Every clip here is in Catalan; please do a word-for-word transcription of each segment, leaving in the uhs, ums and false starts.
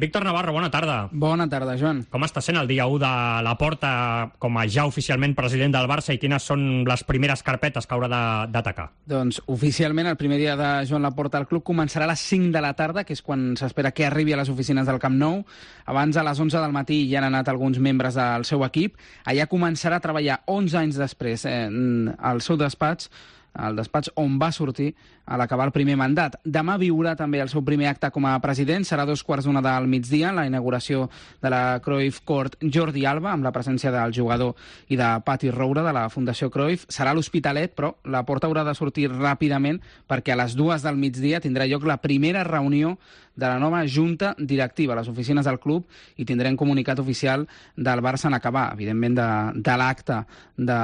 Víctor Navarro, bona tarda. Bona tarda, Joan. Com està sent el dia u de Laporta com a ja oficialment president del Barça i quines són les primeres carpetes que haurà d'atacar? Doncs oficialment el primer dia de Joan Laporta al club començarà a les cinc de la tarda, que és quan s'espera que arribi a les oficines del Camp Nou. Abans, a les onze del matí, ja han anat alguns membres del seu equip. Allà començarà a treballar onze anys després eh, al seu despatx, al despatx on va sortir a l'acabar el primer mandat. Demà viurà també el seu primer acte com a president, serà dos quarts d'una del migdia, la inauguració de la Cruyff Court Jordi Alba, amb la presència del jugador i de Pati Roura, de la Fundació Cruyff. Serà a l'Hospitalet, però Laporta haurà de sortir ràpidament perquè a les dues del migdia tindrà lloc la primera reunió de la nova junta directiva a les oficines del club i tindrem comunicat oficial del Barça en acabar, evidentment de, de l'acte de,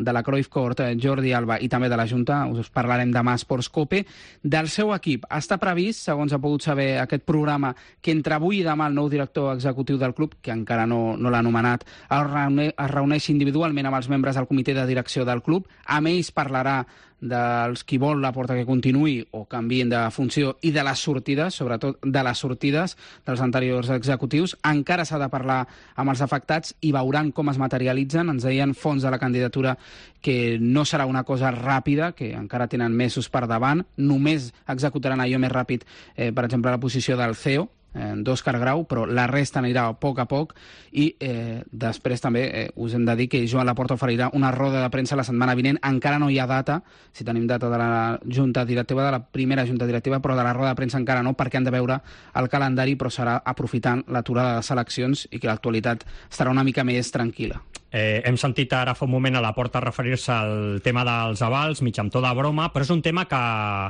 de la Cruyff Court Jordi Alba i també de la junta. Us parlarem demà a Sports Cope. Del seu equip està previst, segons ha pogut saber aquest programa, que entre avui i demà el nou director executiu del club, que encara no, no l'ha anomenat, es, reuni, es reuneixi individualment amb els membres del comitè de direcció del club. Amb ells parlarà dels qui vol Laporta que continuï o canviïn de funció i de les sortides, sobretot de les sortides dels anteriors executius. Encara s'ha de parlar amb els afectats i veuran com es materialitzen. Ens deien fons de la candidatura que no serà una cosa ràpida, que encara tenen mesos per davant. Només executaran allò més ràpid, eh, per exemple, la posició del C E O, d'Òscar Grau, però la resta anirà a poc a poc i eh, després també eh, us hem de dir que Joan Laporta oferirà una roda de premsa la setmana vinent. Encara no hi ha data, si tenim data de la junta directiva, de la primera junta directiva, però de la roda de premsa encara no, perquè han de veure el calendari, però serà aprofitant l'aturada de seleccions i que l'actualitat estarà una mica més tranquil·la. Eh, hem sentit ara fa un moment a Laporta referir-se al tema dels avals, mig amb to de broma, però és un tema que,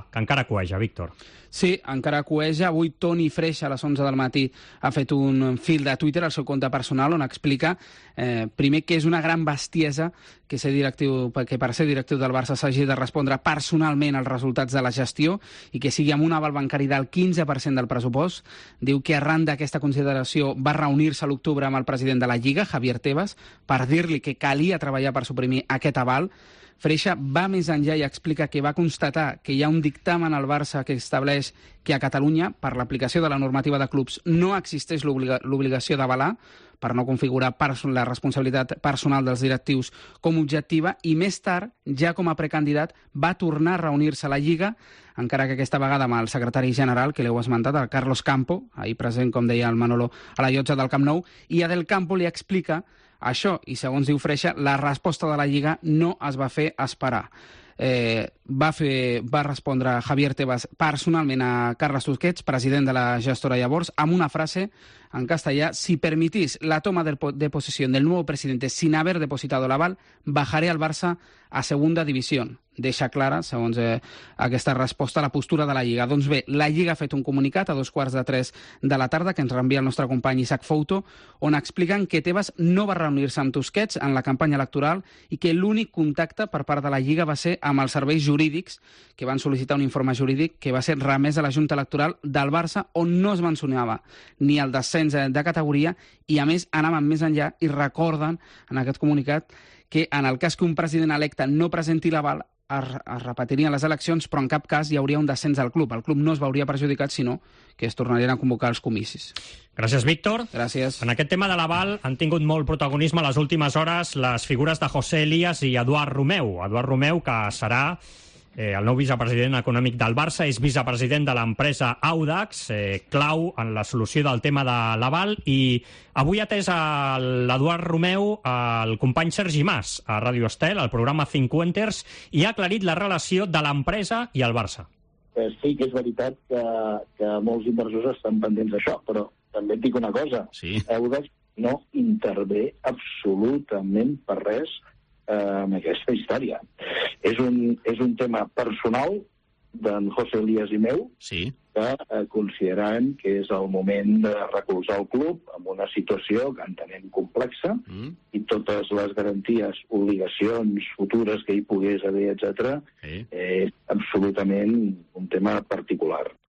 que encara coeja, Víctor. Sí, encara coeja. Avui Toni Freixa, a les onze del matí, ha fet un fil de Twitter al seu compte personal on explica, eh, primer, que és una gran bestiesa que, ser directiu, que per ser directiu del Barça s'hagi de respondre personalment als resultats de la gestió i que sigui amb un aval bancari del quinze per cent del pressupost. Diu que arran d'aquesta consideració va reunir-se a l'octubre amb el president de la Lliga, Javier Tebas, per dir-li que calia treballar per suprimir aquest aval. Freixa va més enllà i explica que va constatar que hi ha un dictamen al Barça que estableix que a Catalunya, per l'aplicació de la normativa de clubs, no existeix l'obligació d'avalar per no configurar la responsabilitat personal dels directius com objectiva, i més tard, ja com a precandidat, va tornar a reunir-se a la Lliga, encara que aquesta vegada amb el secretari general, que l'heu esmentat, el Carlos Campo, ahir present, com deia el Manolo, a la llotja del Camp Nou, i a Del Campo li explica això, i segons diu Freixa, la resposta de la Lliga no es va fer esperar. Eh, va, fer, va respondre Javier Tebas personalment a Carles Tusquets, president de la gestora llavors, amb una frase en castellà: si permitís la toma de, de posesión del nuevo presidente sin haber depositado l'aval, bajaré al Barça a segunda división. Deixa clara, segons eh, aquesta resposta, la postura de la Lliga. Doncs bé, la Lliga ha fet un comunicat a dos quarts de tres de la tarda que ens reenvia el nostre company Isaac Fouto, on expliquen que Tebas no va reunir-se amb Tusquets en la campanya electoral i que l'únic contacte per part de la Lliga va ser amb els serveis jurídics, que van sol·licitar un informe jurídic que va ser remès a la Junta Electoral del Barça, on no es mencionava ni el descens de categoria i, a més, anaven més enllà i recorden en aquest comunicat que en el cas que un president electe no presenti l'aval es, es repetirien les eleccions, però en cap cas hi hauria un descens al club. El club no es veuria perjudicat, sinó que es tornarien a convocar els comicis. Gràcies, Víctor. Gràcies. En aquest tema de l'aval han tingut molt protagonisme a les últimes hores les figures de José Elías i Eduard Romeu. Eduard Romeu, que serà Eh, el nou vicepresident econòmic del Barça, és vicepresident de l'empresa Audax, eh, clau en la solució del tema de l'aval, i avui ha atès l'Eduard Romeu el company Sergi Mas a Ràdio Estel, al programa Cinquenters, i ha aclarit la relació de l'empresa i el Barça. Eh, sí que és veritat que, que molts inversors estan pendents d'això, però també et dic una cosa, sí. Audax no intervé absolutament per res en aquesta història. És un, és un tema personal d'en José Elías i meu, sí. que eh, considerem que és el moment de recolzar el club en una situació que entenem complexa, mm. i totes les garanties, obligacions futures que hi pogués haver, etcètera, sí. És absolutament un tema particular.